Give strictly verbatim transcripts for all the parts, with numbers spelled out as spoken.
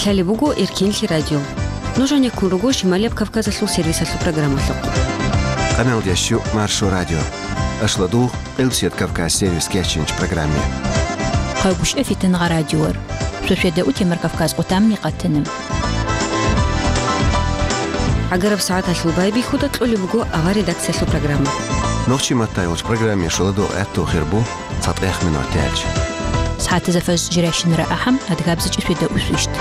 Лъалеб буго Эркенлъи радио. Нуж гьанеккун руго Шималияб Кавказалъул сервисалъул программалъухъ. Къаналдящу Маршо радио. Ашладугъ Къилбсият Кавказ сервис кечинч программе. Къайгушев Фитангъа радиор. Шошведа утемар Кавказ къутамни къатана. ГӀагараб сагӀаталъул байбихьуда кьолеб буго авар редакциялъул программа. Нохчи маттай вач программе шуладо гӀатту хирбу цатӀех минут тяч. СагӀатаза фаз жиращинара ахӀам адгабзичӀи шведа усвищт.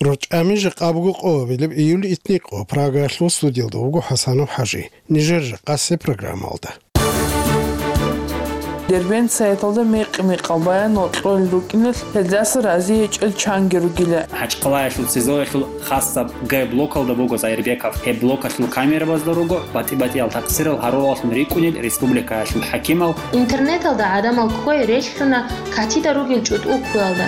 РучӀами жакъа буго къо, билеб июль итникъо, Прагаялъул студиялда вуго ХӀасанов ХӀажи. Нижер жакъасе программалда. Дербент сайталда мекъи-мекъал баянал кьолел рукӀиналъ гьелдаса рази гьечӀел чанги ругила. ХӀачкъалаялъул СИЗОялъул хасаб Г блокалда буго Зайирбеков. Гьеб блокалъул камерабазда руго батӀи-батӀиял такъсирал гьарулаллъун рикӀкӀунел республикаялъул хӀакимал. Интернеталда гӀадамал кквей релълъуна катида ругел чӀутӀул ккуялда.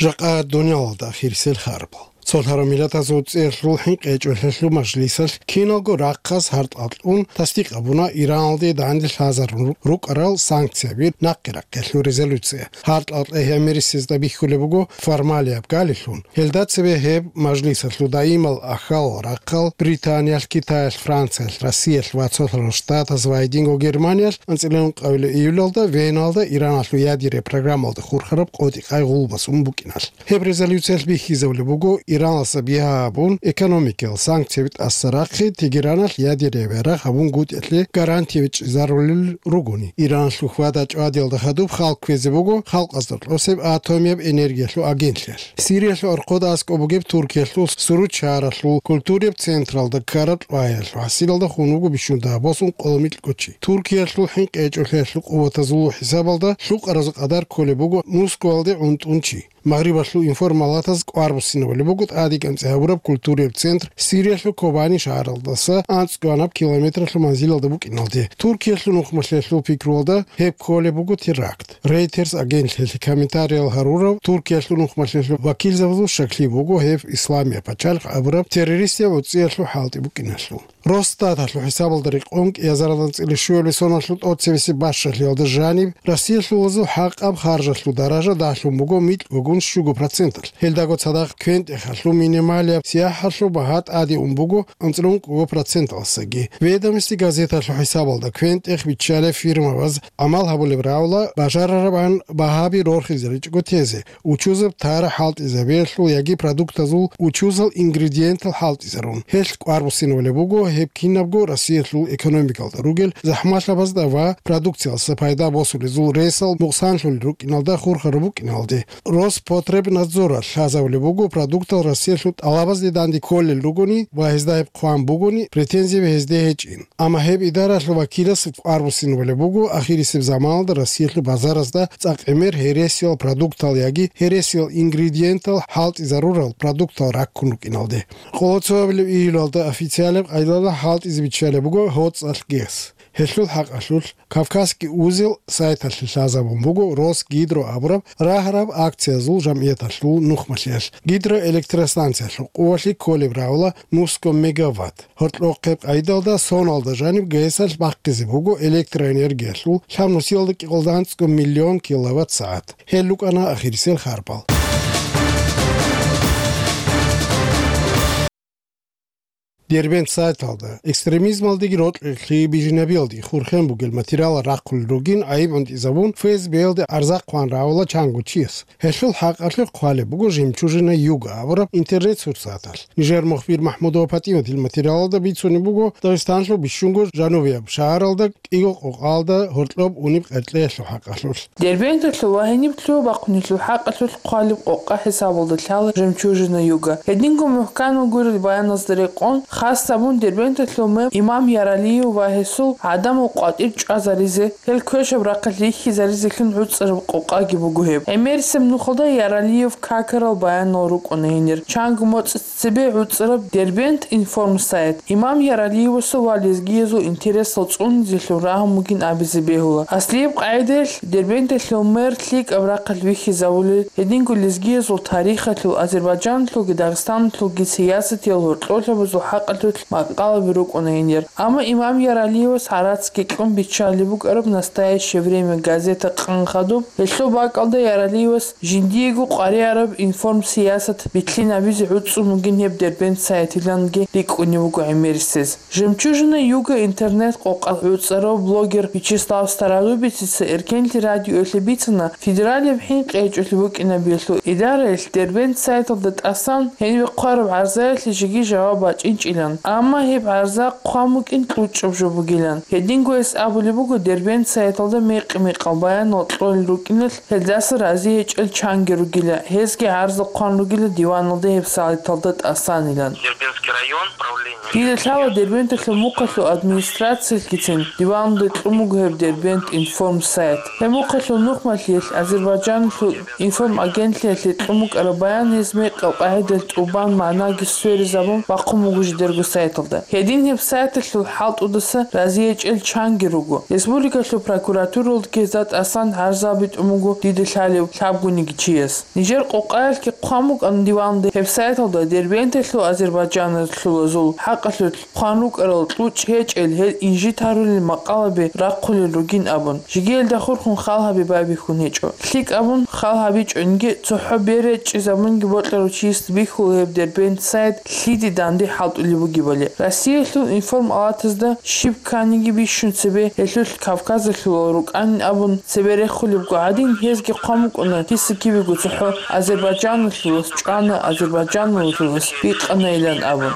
Жакъа дуниялалда ахирисел харбал. Цолъарав миллатазул цӀеялъул хӀинкъичӀолъиялъул мажлисалъ киналго рахъас гьартӀал кьун тасдикъ гьабуна Ираналде данде лъазарун рукӀарал санкцияби нахъе-рахъелъул резолюция. ГьартӀал кьегьияб мерисезда бихьулеб буго формалияб галилъун. Гьелда цебе гьеб мажлисалъул даимал ахьал рахъал Британиялъ, Китаялъ, Франциялъ, Россиялъ ва Цолъарал Штатаз ва гьединго Германиялъ анцӀила ункъабилеб июлалда Веналда Ираналъул ядерия программалда хурхараб къотӀи-къай гъулбасун букӀиналъ. Гьеб резолюциялъ бихьизабулеб буго Иранаса бигьа гьабун, экономикиял санкцияби тӀаса рахъи, Тегераналъ ядерия ярагъ гьабунгутӀиялъе гарантияби чӀезарулел ругони. Иранлъухъ вада чӀвадиялда хадуб хал кквезе буго халкъазда кьосеб атомияб энергиялъул агентлъиялъ. Сириялъул архъуда аскӀоб бугеб Туркиялъул Суручаралъул культурияб централда ккараб кьваялъул хӀасилалда хун вуго бищун дагьаб босун къоло микьго чи. Туркиялъул хӀинкъичӀолъиялъул къуватазул хӀисабалда лъукъаразул къадар кколеб буго Москвалде гӀунтӀун чи. Магърибалъул информалатаз кӀвар буссинабулеб буго тӀадегӀанцӀи гьабураб культурияб центр Сириялъул Кобани шагьаралдаса анцӀгоанаб километралъул манзилалда букӀиналде. Туркиялъул нухмалъиялъул пикруялда гьеб кколеб буго теракт. Рейтерс агентлъиялъе комментариял гьарурав Туркиялъул нухмалъиялъул вакилзабазул щаклъи буго гьеб Исламияб пачалихъ абураб террористияб гӀуцӀиялъул хӀалтӀи букӀиналъул. Росстаталъул хӀисабалда рекъон кӀиазаралдан цӀилищуялъул соналъул тӀоцебесеб бащалъиялда жаниб Россиялъулазул хӀакъаб харжалъул даража дагьлъун буго микьгогун щуго проценталъ. Гьелдаго цадахъ квен-тӀехалъул минималияб сияхӀалъул багьа тӀаде ун буго анцӀила ункъго проценталсаги. Ведомости газеталъул хӀисабалда квен-тӀех биччалеб фирмабаз гӀамал гьабулеб равла бажарарабан багьаби рорхизаричӀого тезе. Учузаб тара хӀалтӀизабиялъул яги продуктазул учузал ингредиентал хӀалтӀизарун. Гьелъ кӀвар буссинабулеб буго гьеб кинабго Россиялъул экономикалда ругел захӀмалъабазда ва продукциялдаса пайда босулезул ресал мукъсанлъулел рукӀиналда хурхараб букӀиналде. Роспотребнадзоралъ лъазабулеб буго продуктал Россиялъул тӀалабазде данде кколел ругони ва гьезда гьеб хъван бугони, претензияби гьезде гьечӀин. Амма гьеб идаралъул вакилас кӀвар буссинабулеб буго ахирисеб заманалда Россиялъул базаразда цӀакъ гӀемер гьересиял продуктал яги гьересиял ингредиентал хӀалтӀизарурал продуктал раккун рукӀиналде. Къоло цоабилеб июлалда официалаб къайдалда хӀалтӀизе биччалеб буго гьоцӀалъ гес. Гьелъул хӀакъалъулъ Кавказский узел сайталъе лъазабун буго Росгидро абураб рагьараб акциязул жамгӀияталъул нухмалъиялъ. Гидроэлектростанциялъул къувалъи кколеб равла нусго мегаватт. Гьоркьохъеб къайдалда соналда жаниб ГЭСалъ бахъизе буго электроэнергиялъул лъабнусиялда кӀикъоялда анцӀго миллион киловатт-сагӀат. Гьел рукӀана ахирисел харбал. Дербент сайталда экстремизмалдеги рокьи бижинабиялдеги хурхен бугел материалал рахъулел ругин гӀайиб гӀунтӀизабун, ФСБ-ялде арза хъван равала чанго чияс. Гьелъул хӀакъалъулъ хъвалеб буго Жемчужина Юга абураб интернет-сурсаталъ. Нижер мухбир МахӀмудова ПатӀиматил материалалда бицунеб буго Дагъистанлъул бищунго жанубияб шагьаралда кӀиго къокъалда гьоркьоб унеб къеркьеялъул хӀакъалъулъ. Дербенталъул ва гьениблъун бахъунелъул хӀакъалъулъ хъвалеб къокъа хӀисабалда лъала Жемчужина Юга. Гьединго мухӀканал гурел баяназда рекъон, хас гьабун Дербенталъул мэр Имам Яралиев ва гьесул гӀадамал къватӀир чӀвазаризе, гьел квешаб рахъалъ вихьизаризелъун гӀуцӀараб къокъаги буго гьеб. ГӀемерисеб нухалда Яралиев какарал баянал рукӀуна гьенир. Чанго моцӀ цебе гӀуцӀараб Дербент информсайт Имам Яралиевасул ва лезгиязул интересал цӀунизелъун рагьун бугин абизе бегьула. Аслияб къагӀидаялъ Дербенталъул мэр лъикӀаб рахъалъ вихьизавулел, гьединго лезгиязул тарихалъул, Азербайджаналъулги Дагъистаналъулги сиясатиял гьоркьоблъиябазул хӀакъ бакӀалъулъ макъалаби рукӀуна гьенир. Амма Имам Яралиевас гӀарацги кьун биччалеб букӀараб «Настоящее время» газета къан хадуб, гьелъул бакӀалда Яралиевас жиндиего къваригӀараб информсиясат битлъинабизе гӀуцӀун бугин гьеб Дербент сайтиланги рикӀкӀунеб буго гӀемерисез. «Жемчужина Юга» интернет-къокъа гӀуцӀарав блогер Вячеслав Стародубицица Эркенлъи радиоялъе бицана, федералияб хӀинкъи гьечӀолъи букӀинабиялъул идараялъ Дербент сайталда тӀасан гьениб хъвараб гӀарзаялъе жеги жаваб бачӀинчӀилан, амма гьеб гӀарза хъван букӀин кьучӀаб жо бугилан. Гьединго гьес абулеб буго Дербент сайталда мекъи-мекъал баянал кьолел рукӀиналъ, гьелдаса рази гьечӀел чанги ругила, гьезги гӀарзал хъван ругила диваналда гьеб сайталда тӀасанилан. Дербентский район, управление. Дида лъала Дербенталъул мухъалъул администрациялъгицин диваналда кьун буго гьеб Дербент информ сайт. Гьеб мухъалъул нухмалъиялъ Азербайджаналъул информагентлъиялъе кьун букӀараб баян гьез мекъал къагӀидалъ тӀубан, магӀнаги сверизабун бахъун буго жидерго сайталда. Гьедин гьеб сайталъул хӀалтӀудаса рази гьечӀел чанги руго. Республикалъул прокуратуралдаги гьезда тӀасан гӀарзаби тӀун буго дида лъалев лъабгониги чияс. Нижер къокъаялъги хъван букӀана диваналда гьеб сайталда Дербенталъул азербайджаналъулазул хӀакъалъулъ хъван рукӀарал кьучӀ гьечӀел гьел инжит гьарулел макъалаби рахъулел ругин абун, жеги гьелда хурхун хал гьаби байбихьун гьечӀо. ЛъикӀ абун хал гьабичӀониги, цохӀо бере чӀезабунги бокьарав чиясда бихьула гьеб Дербент сайт лъиде данде хӀалтӀулеб бугебали. Россиялъул информалатазда щиб кканиги бищун цебе гьелъулъ Кавказалъулал рукӀанин абун цебе рехулебго гӀадин, гьезги хъван букӀуна киса-кибего цохӀо Азербайджаналъулас чӀвана, азербайджаналъулас бикъанайилан абун.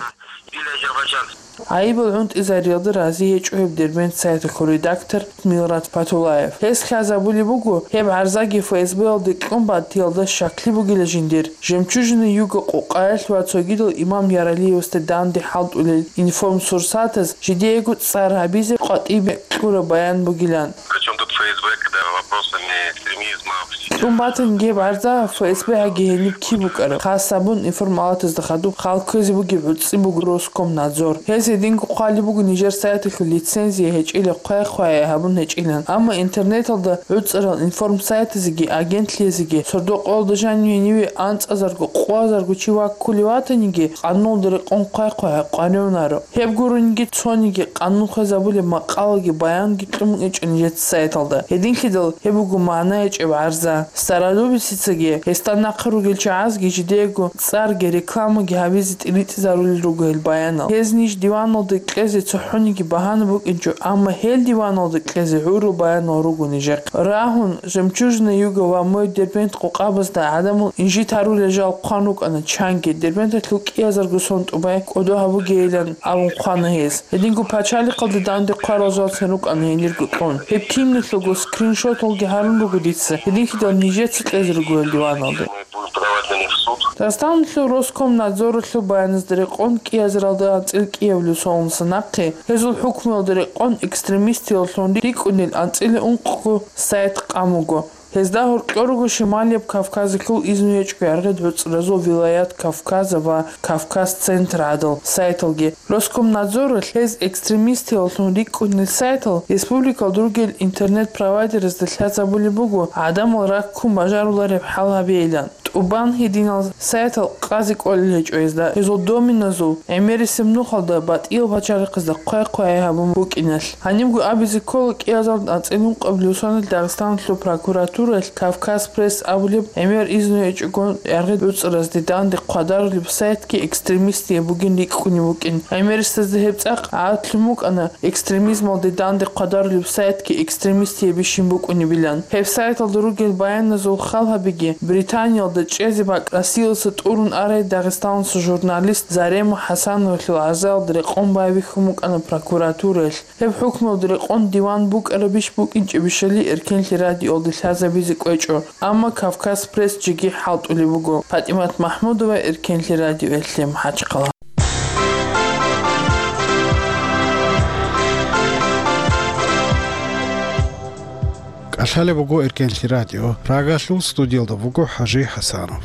Или азербайджанцы. ГӀайибал гӀунтӀизариялда рази гьечӀо гьеб Дербент сайталъул редактор Милрат Патулаев. Гьес лъазабулеб буго, гьеб гӀарзаги ФСБ-ялде кьун батиялда щаклъи бугила жиндир, «Жемчужина Юга» къокъаялъ ва цогидал Имам Яралиевасда данде хӀалтӀулел информсурсатаз жидеего цӀар гьабизе къватӀибе кьураб баян бугилан. Причём тут ФСБ, когда вопросами экстремизма, кьун батани гьеб гӀарза ФСБ гьаги гьениб киб букӀараб? Хас абун информалатазда хадуб хал кквезе бугеб гӀуцӀи буго Роскомнадзор. Гьез гьединго хъвалеб буго нижер сайталъул лицензия гьечӀила хъвай-хъвай гьабун гьечӀилан. Амма интернеталда гӀуцӀарал информсайтазеги агентлъиязеги сордо-къоялда жанив гьениве анцӀазарго, къоязарго чи ваккулев ватаниги, къануналда рекъон хъвай-хъвай къваригӀунаро. Гьеб гурониги цониги къанун хвезабулеб макъалаги баянги кьун букӀинчӀо нижеца сайталда. Гьединлъидал гьеб буго магӀна гьечӀеб гӀарза. Стародубицицаги гьесда нахъе ругел чагӀазги жидеего цӀарги рекламаги гьабизе тӀиритӀизарулел руго гьел баянал. Гьез ниж диваналда кьезе цохӀониги багьана букӀинчӀо, амма гьел диваналда кьезе гӀурул баянал руго нижехъе. Рагьун, «Жемчужина Юга» ва «Мой Дербент» къокъабазда гӀадамал инжит гьарулел жал хъван рукӀана чанги, Дербенталъул кӀиязарго сон тӀубай кӀодо гьабугейилан абун хъвана гьез. Гьединго пачалихъалда данде хъварал жалцин рукӀана гьенирго кьун. Гьеб киналъулго скриншоталги гьарун руго дица, гьединлъидал нижеца кьезе руго гьел диваналде. Мы будем подавать на них в суд. Дагъистаналъул Роскомнадзоралъул баяназда рекъон кӀиязаралда анцӀил кӀиявлъул соналдаса нахъе, гьезул хӀукмуялда рекъон экстремистияллъун рикӀкӀунел анцӀила ункъго сайт къан буго. Гьезда гьоркьор руго Шималияб Кавказалъул изну гьечӀого яргъи гӀуцӀразул «Вилаят Кавказа» ва «Кавказ Центр» гӀадал сайталги. Роскомнадзоралъ гьез экстремистияллъун рикӀкӀунел сайтал республикалда ругел интернет-провайдерзда лъазабулеб буго гӀадамал раккун бажарулареб хӀал гьабейилан. ТӀубан гьединал сайтал къазе кӀолел гьечӀо гьезда, гьезул доменазул гӀемерисеб нухалда батӀиял пачалихъазда хъвай-хъвай гьабун букӀиналъ. Гьанибго абизе ккола кӀиазал анцӀил ункъабилеб соналъ Дагъистаналъул прокуратураялъ «Кавказ Пресс» абулеб гӀемер изну гьечӀого яргъи гӀуцӀразде данде хъвадарулеб сайтги экстремистияб бугин рикӀкӀунеб букӀин. ГӀемерисезда гьеб цӀакъ гӀаратлъун букӀана, экстремизмалде данде хъвадарулеб сайтги экстремистиябищин букӀунебилан. Гьеб сайталда ругел баяназул хал гьабиги, Британиялда чӀезе бакӀ Россиялдаса тӀурун арай Дагъистаналъул журналист Зарема ХӀасановалъул гӀарзаялда рекъон байбихьун букӀана прокуратураялъ. Гьеб хӀукмуялда рекъон диван букӀарабищ букӀинчӀебищали Эркенлъи радиоялда лъазабизе кӀвечӀо, амма «Кавказ Пресс» жеги хӀалтӀулеб буго. ПатӀимат МахӀмудова, Эркенлъи радиоялъе, МахӀачхъала. КӀалъалеб буго Эркенлъи радио. Прагалъул студиялда вуго ХӀажи ХӀасанов.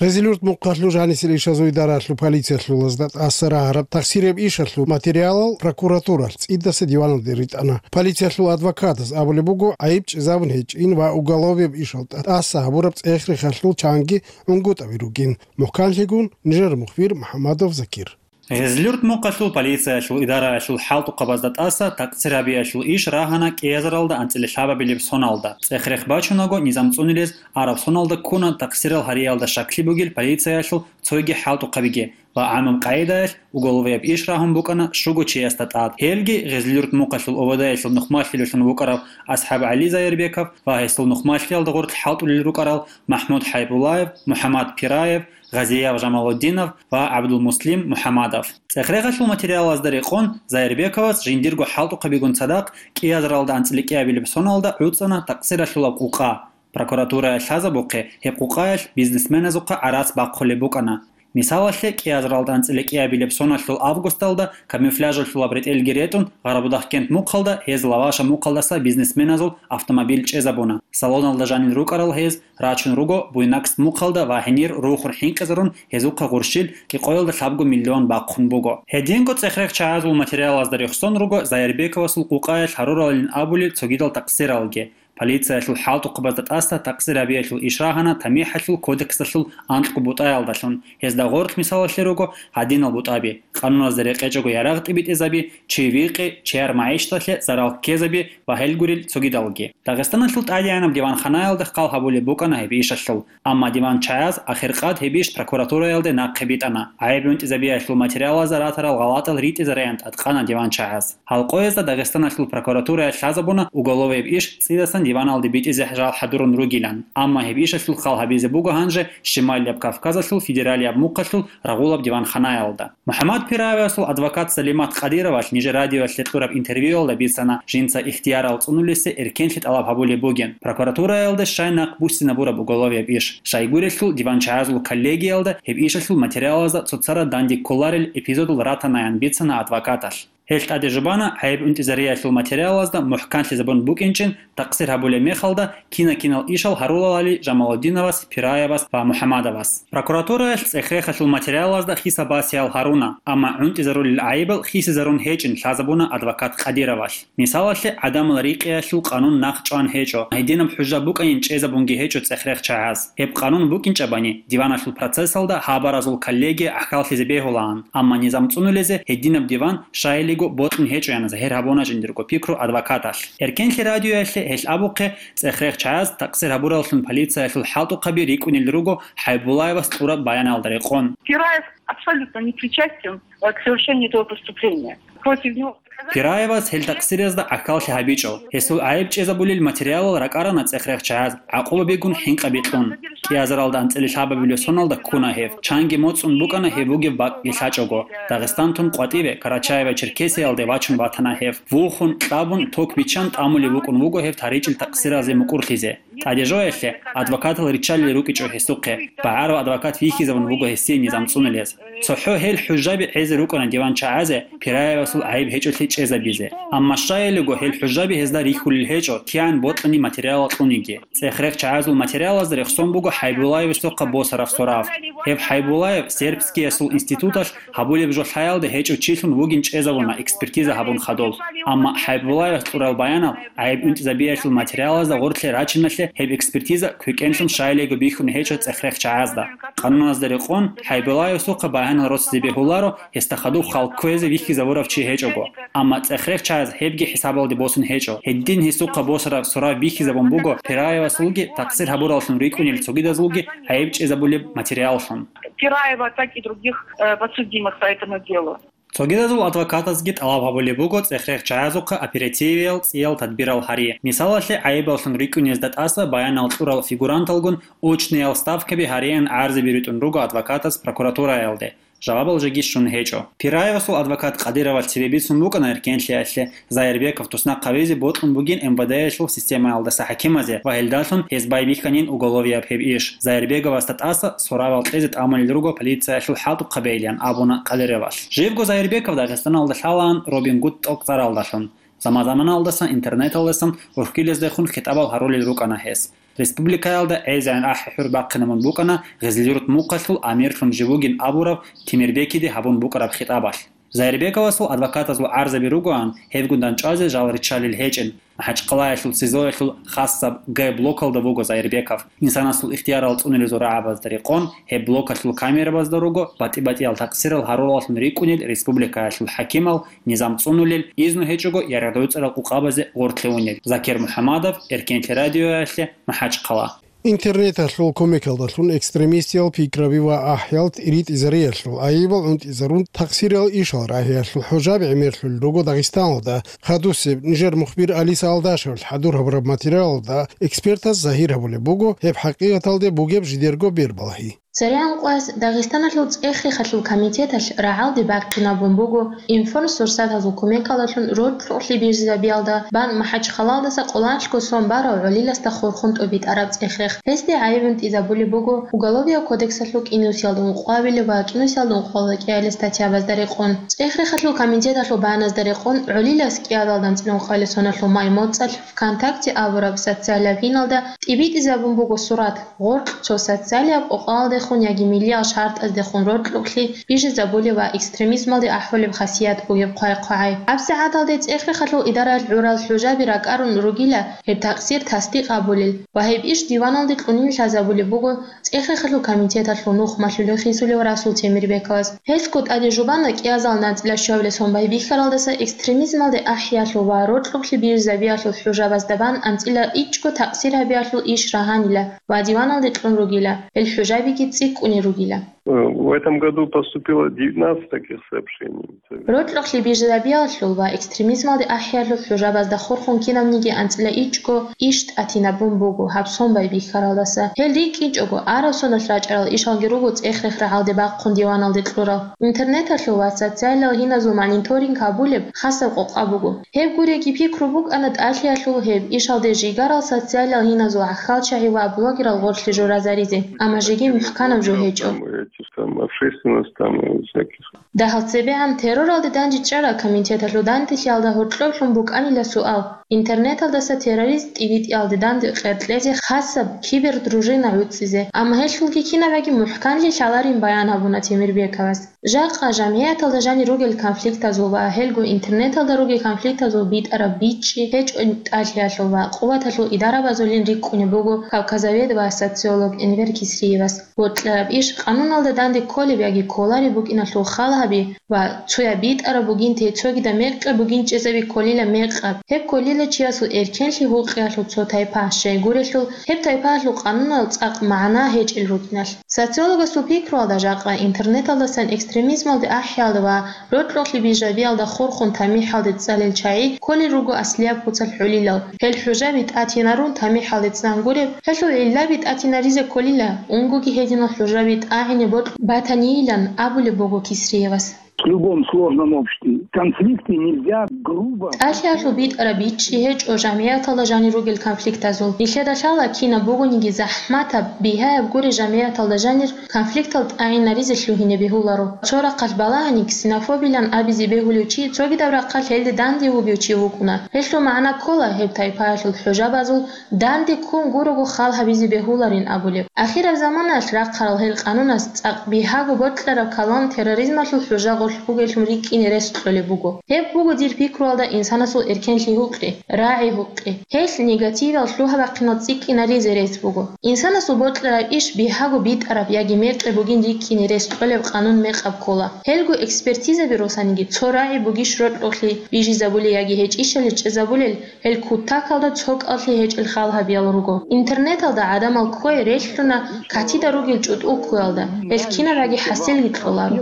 Гъезилюрт мухъалъул жанисел ишазул идараялъул полициялъулазда тӀаса рагьараб тахсираб ишалъул материалал прокуратуралъ цӀидаса диваналде ритӀана. Полициялъул адвокатас абулеб буго, гӀайиб чӀезабун гьечӀин ва уголовияб ишал тӀаса гьабураб цӀех-рехалъул чанги гӀунгутӀаби ругин. Мухъканлъигун, нижер мухбир МухӀамадов Закир. Гъезлюрт мухъалъул полициялъул идараялъул хӀалтӀухъабазда тӀаса такъсир гьабиялъул иш рагьана кӀиазаралда анцӀила лъабабилеб соналда. ЦӀех-рех бачунаго, низам цӀунилез араб соналда ккуна такъсирал гьариялда щаклъи бугел полициялъул цойги хӀалтӀухъабиги ва гӀамум къагӀидаялъ уголовияб иш рагьун букӀана щуго чиясда тӀад. Гьелги Гъезлюрт мухъалъул ОВД-ялъул нухмалъилалъун вукӀарав АсхӀаб ГӀали Зайрбеков ва гьесул нухмалъиялда гъорлъ хӀалтӀулел рукӀарал МахӀмуд ХӀайбуллаев, МухӀаммад Пираев, Гъазияв Жамалуддинов ва ГӀабдулмуслим МухӀаммадов. ЦӀех-рехалъул материалазда рекъон, Зайрбековас жиндирго хӀалтӀухъабигун цадахъ кӀиазаралда анцӀила кӀиабилеб соналда гӀуцӀана такъсиралъулаб къукъа. Прокуратурая лъазабухъе, гьеб къукъаялъ бизнесменазухъа гӀарац бахъулеб букӀана. Мисалалъе, кӀиазаралда анцӀила кӀиабилеб соналъул августалда камуфляжалъулаб ретӀелги ретӀун, Гъарабудахъкент мухъалда гьез Лаваша мухъалдаса бизнесменазул автомобиль чӀезабуна. Салоналда жанир рукӀарал гьез рачун руго Буйнакск мухъалда ва гьенир рухун хӀинкъизарун гьезухъа гъурщил кӀикъоялда лъабго миллион бахъун буго. Гьединго цӀех-рех чагӀазул материалазда рехсон руго Зайрбековасул къукъаялъ гьаруралин абулел цогидал такъсиралги. Полициялъул хӀалтӀухъабазда тӀаса такъсир гьабиялъул иш рагьана ТамихӀалъул кодексалъул анкьго бутӀаялдалъун, гьезда гъорлъ мисалалъе руго гьадинал бутӀаби: къануналъе рекъечӀого ярагъ тӀибитӀизаби, чи викъи, чияр магӀишаталъе зарал ккезаби ва гьел гурел цогидалги. Дагъистаналъул тӀадегӀанаб диванханаялда хъал гьабулеб букӀана гьеб ишалъул, амма диван чагӀаз ахиркъад гьеб иш прокуратураялде нахъе битӀана. ГӀайиб унтӀизабиялъул материалазда ратарал гъалатӀал ритӀизареян тӀадкъана диван чагӀаз. Гьал къоязда Дагъистаналъул прокуратурая лъазабуна уголовияб иш цӀидасан диваналде битӀизе жал хӀадурун ругилан, амма гьеб ишалъул хъал гьабизе буго гьанже Щималияб Кавказалъул федералияб мухъалъул рагъулаб диванханаялда. МухӀаммад Пираевасул адвокат Салимат Къадировалъ нижер радиоялъе кьураб интервьюялда бицана жинца ихтиярал цӀунулесе эркенлъи тӀалаб гьабулеб бугин, прокуратураялда щай нахъ буссинабураб уголовияб иш. Щайгурелъул диван чагӀазул коллегиялда гьеб ишалъул материалазда цоцара данде кколарел эпизодал ратанаян бицана адвокаталъ. Гьелъ тӀаде жубана гӀайиб унтӀизариялъул материалазда мухӀканлъизабун букӀинчӀин такъсир гьабулеб мехалда кина-кинал ишал гьарулалали Жамалуддиновас, Пираевас ва МухӀаммадовас. Прокуратураялъ цӀех-рехалъул материалазда хисаб-басиял гьаруна, амма унтӀизарулел гӀайибал хисизарун гьечӀин лъазабуна адвокат Къадировалъ. Мисалалъе, гӀадамал рикъиялъул къанун нахъ чӀван гьечӀо, гьединаб хӀужа букӀанин чӀезабунги гьечӀо цӀех-рех чагӀаз. Гьеб къанун букӀинчӀебани, диваналъул процессалда гьабаразул коллегия гӀахьаллъизе бегьулаан, амма низам цӀунулезе гьединаб диван щайилиго бокьун гьечӀоян загьир гьабуна жиндирго пикру адвокаталъ. Эркенлъи радиоялъе гьелъ абухъе, цӀех-рех чагӀаз такъсир гьабураллъун полициялъул хӀалтӀухъаби рикӀкӀунел руго ХӀайбуллаевас кьураб баяналда рекъон. Пираев абсолютно не причастен, э, к совершению этого преступления. Против него Пираевас гьел такъсиразда гӀахьаллъи гьабичӀо. Гьесул гӀайиб чӀезабулел материалал ракӀарана цӀех-рех чагӀаз, гӀакъуба бигун хӀинкъаби кьун. КӀиазаралда анцӀила лъабабилеб соналда ккуна гьев. Чанги моцӀун букӀана гьев вугев бакӀги лъачӀого. Дагъистан тун къватӀиве, Карачаево-Черкесиялде вачун ватана гьев. Вухун, кьабун, ток биччан тӀамулев вукӀун вуго гьев таричӀел такъсиразе мукӀурлъизе. ТӀадежоялъе адвокатал риччалел рукӀичӀо гьесухъе. БагӀарав адвокат вихьизабун вуго гьесие низам цӀунулез. ЦохӀо гьел хӀужаби гӀезе рукӀана диван чагӀазе Пираевасул гӀайиб гьечӀолъи чӀезабизе. Амма щайилего гьел хӀужаби гьезда рихьулел гьечӀо, кигӀан бокьани материалал кьуниги. ЦӀех-рех чагӀазул материалазда рехсон буго ХӀайбуллаевасухъа босараб сорав. Гьеб ХӀайбуллаев сербскиясул институталъ гьабулеб жо лъаялда гьечӀо чилъун вугин чӀезабуна экспертиза гьабун хадуб. Амма ХӀайбуллаевас кьурал баянал гӀайиб унтӀизабиялъул материалазда гъорлъе рачиналъе гьеб экспертиза квекӀенлъун щайилего бихьун гьечӀо цӀех-рех чагӀазда. Къануназда рекъон, ХӀайбуллаевасухъа баянал росизе бегьуларо, гьесда хадуб хал кквезе вихьизабурав чи гьечӀого. Амма цӀех-рех чагӀаз гьебги хӀисабалде босун гьечӀо. Гьедин гьесухъа босараб сорав бихьизабун буго Пираевасулги такъсир гьабураллъун рикӀкӀунел цогидазулги гӀайиб чӀезабулеб материаллъун. Пираева, так и других, э, подсудимых по этому делу. Цогидазул адвокатазги тӀалаб гьабулеб буго цӀех-рех чагӀазухъа оперативиял цӀиял тадбирал гьари. Мисалалъе, гӀайибаллъун рикӀкӀунезда тӀаса баянал кьурал фигуранталгун очниял ставкаби гьариян гӀарзаби ритӀун руго адвокатаз прокуратураялде. Жавабал жеги щун гьечӀо. Пираевасул адвокат Къадировалъ цебе бицун букӀана эркенлъиялъе, Зайрбеков туснахъ гьавизе бокьун бугин МВД-ялъул системаялдаса хӀакимазе ва гьелдалъун гьез байбихьанин уголовияб гьеб иш. Зайрбековасда тӀаса соравал кьезе тӀамулел руго полициялъул хӀалтӀухъабейилан абуна Къадировалъ. Живго Зайрбеков Дагъистаналда лъалаан Робин Гуд тӀокӀцӀаралдалъун. Заман-заманалдасан интернеталдасан урхьилаздехун хитӀабал гьарулел рукӀана гьес. Республикаялда гӀезегӀан ахӀи-хӀур бахъинабун букӀана Гъизлирут мухъалъул амирлъун жив вугин абурав Темирбекиде гьабун букӀараб хитӀабалъ. Зайирбековасул адвокатазул гӀарзаби ругоан, гьебгун дандчӀвазе жал риччалел гьечӀин. МахӀачхъалаялъул СИЗОялъул хасаб Г блокалда вуго Зайирбеков. Инсанасул ихтиярал цӀунулезул рагӀабазда рекъон, гьеб блокалъул камерабазда руго батӀи-батӀиял такъсирал гьарураллъун рикӀкӀунел республикаялъул хӀакимал, низам цӀунулел, изну гьечӀого яргъдавуцӀарал къукъабазе гъоркье унел. Закир МухӀамадов, Эркенлъи радиоялъе, МахӀачхъала. Интернеталъул кумекалдалъун экстремистиял пикраби ва ахӀиялд ритӀизариялъул, гӀайибал гӀунтӀизарун, такъсириял ишал рагьиялъул хӀужаби гӀемерлъулел руго Дагъистаналда. Хадусеб нижер мухбир Алиса Алдашевалъ хӀадур гьабураб материалалда экспертаз загьир гьабулеб буго гьеб хӀакъикъаталде бугеб жидерго бербалгьи. ЦерегӀан къвас Дагъистаналъул цӀех-рехалъул комитеталъ рагӀалде бахъинабун буго информсурсатазул кумекалдалъун рокьукълъи бижизабиялда бан МахӀачхъалалдаса къоланлъго сон барав гӀолиласда хурхун тӀубитӀараб цӀех-рех. Гьесде гӀайиб гӀунтӀизабулеб буго Уголовияб кодексалъул кӀинусиялда ункъоялда ва кӀинусиялда ункъоялда кӀиабилеб статьябазда рекъон. ЦӀех-рехалъул комитеталъул баназда рекъон гӀолилас кӀиабилеб анцӀила ункъоялда соналъул май моцӀалъ ВКонтакте абураб социалияб гьиналда тӀибитӀизабун буго сурат, гъоркь цо социалияб къокъалдехун яги миллиял шартӀаздехун рокьукълъи бижизабулеб ва экстремизмалде ахӀулеб хасият бугеб хъвай-хъвагӀай. ГьабсагӀаталде цӀех-рехалъул идараялъ гӀурал хӀужаби ракӀарун ругила гьеб такъсир тасдикъ гьабулел ва гьеб иш диваналде кьунин лъазабулеб буго ЦӀех-рехалъул комитеталъул нух малъулев хисулев Расул Темирбековас. Гьелъго тӀаде жубана кӀиазал анцӀила щуабилеб сон байбихьаралдаса экстремизмалде ахӀиялъул ва рокьукълъи бижизабиялъул хӀужабазда бан анцӀила ичӀго такъсир гьабиялъул иш рагьанила ва диваналде кьун ругила, гьел хӀужабиги цӀикӀкӀунел ругила. В этом году поступило девятнадцать таких сообщений. Рокьукълъи бижизабиялъул ва экстремизмалде ахӀиялъул хӀужабазда хурхун кинабниги анцӀила ичӀго иш тӀатинабун буго гьаб сон байбихьаралдаса. Гьел рикӀкӀинчӀого, араб соналъ рачӀарал ишалги руго цӀех-рех рагӀалде бахъун диваналде кьурал. Интернеталъул ва социалияб гьиназул мониторинг гьабулеб хасаб къокъа буго. Гьеб гуреги пикру букӀана тӀалъиялъул гьеб ишалде жигарал социалияб гьиназул гӀахьалчагӀи ва блогерал гъорлъе журазаризе, амма жеги мухӀканаб жо гьечӀо. Там, эти самые, общественность, там, и всяких. Дагьал цебегӀан терроралде дандчӀвараб комитеталъул данделъиялда гьоркьоблъун букӀанила суал: интернеталдаса террорист тӀибитӀиялде данде къеркьезе хасаб кибердружина гӀуцӀизе, амма гьелъулги кинабаги мухӀканлъи лъаларин баян гьабуна Темирбековас. Жакъа жамгӀияталда жанир ругел конфликтазул ва гьелго интернеталда ругел конфликтазул битӀараб бичӀчӀи гьечӀо тӀалъиялъул ва къуваталъул идарабазулин рикӀкӀунеб буго кавказовед ва социолог Энвер Кисриевас. Бокьараб иш къануналда данде кколеб яги кколареб букӀиналъул хал гьаби ва цояб битӀараб бугин те цогидаб мекъи бугин чӀезаби кколила мекъаб. Гьеб кколила чиясул эркенлъи гьукъиялъул цо тайпа, щайгурелъул гьеб тайпаялъул къануналъ цӀакъ магӀна гьечӀел рукӀиналъ. Социологасул пикруялда, жакъа интернеталдасан экстремизмалде ахӀиялда ва рокьукълъи бижизабиялда хурхун тамихӀалде цӀалел чагӀи кколел руго аслияб куцалъ гӀолилал. Гьел хӀужаби тӀатинарун тамихӀалде цӀан гуреб, гьелъул гӀиллаби тӀатинаризе кколила, унгоги гьединал хӀужаби тӀагӀине бокьун батанийилан абулеб буго Кисриевас. В любом сложном обществе конфликты нельзя грубо. ТӀалъиялъул битӀараб бичӀчӀи гьечӀо жамгӀияталда жанир ругел конфликтазул. Нилъеда лъала кинаб бугониги захӀматаб, бигьаяб гури жамгӀияталда жанир конфликтал тӀагӀинаризе лъугьине бегьуларо. Цо рахъалъ балагьани, ксенофобилан абизе бегьулев чи цогидаб рахъалъ гьелде данде вугев чи вукӀуна. Гьелъул магӀна ккола гьеб тайпаялъул хӀужабазул данде ккун гурого хал гьабизе бегьуларин абулеб. Ахираб заманаялъ рахъарал гьел къанунас цӀакъ бигьаго бокьараб калам терроризмалъул хӀужа гъорлъ бугеллъун рикӀкӀине рес кьолеб буго. Гьеб буго дир пикруялда инсанасул эркенлъи гьукъи, рагӀи гьукъи. Гьелъ негативал лъугьа-бахъинал цӀикӀкӀинаризе рес буго. Инсанасул бокьараб иш бигьаго битӀараб яги мекъи бугин рикӀкӀине рес кьолеб къанун мекъаб ккола. Гьелго экспертизаби росаниги цо рагӀи бугищ рокьукълъи бижизабулел яги гьечӀищали чӀезабулел, гьел кутакалда цо кӀалъи гьечӀел хал гьабиял руго. Интернеталда гӀадамал кквей релълъуна катида ругел чӀутӀул ккуялда. Гьел кинабаги хӀасилги кьоларо.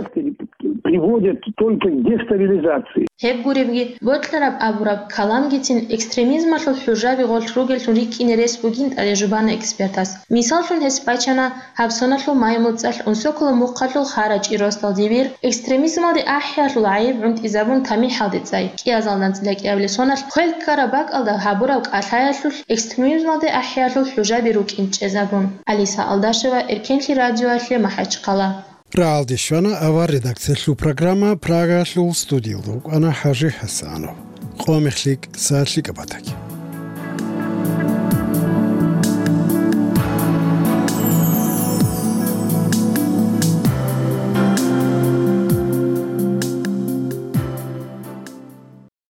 Приводят только к дестабилизации. Гьеб гуребги, бокьараб абураб каламгицин экстремизмалъул хӀужаби гъорлъ ругеллъун рикӀкӀине рес бугин тӀаде жубана экспертас. Мисаллъун гьес бачана гьаб соналъул май моцӀалъ Унсоколо мухъалъул Хара ЧӀиросдал дибир экстремизмалде ахӀиялъул гӀайиб гӀунтӀизабун тамихӀалде цӀай, кӀиазал анцӀила кӀиабилеб соналъ хвел ккараб бакӀалда гьабураб кӀалъаялъулъ экстремизмалде ахӀиялъул хӀужаби рукӀин чӀезабун. Алиса Алдашева, Эркенлъи радиоялъе, МахӀачхъала. РагӀалде щвана авар редакциялъул программа, Прагалъул студиялда вукӀана ХӀажи ХӀасанов. Къо мехлъи, са лъикӀаб батаги.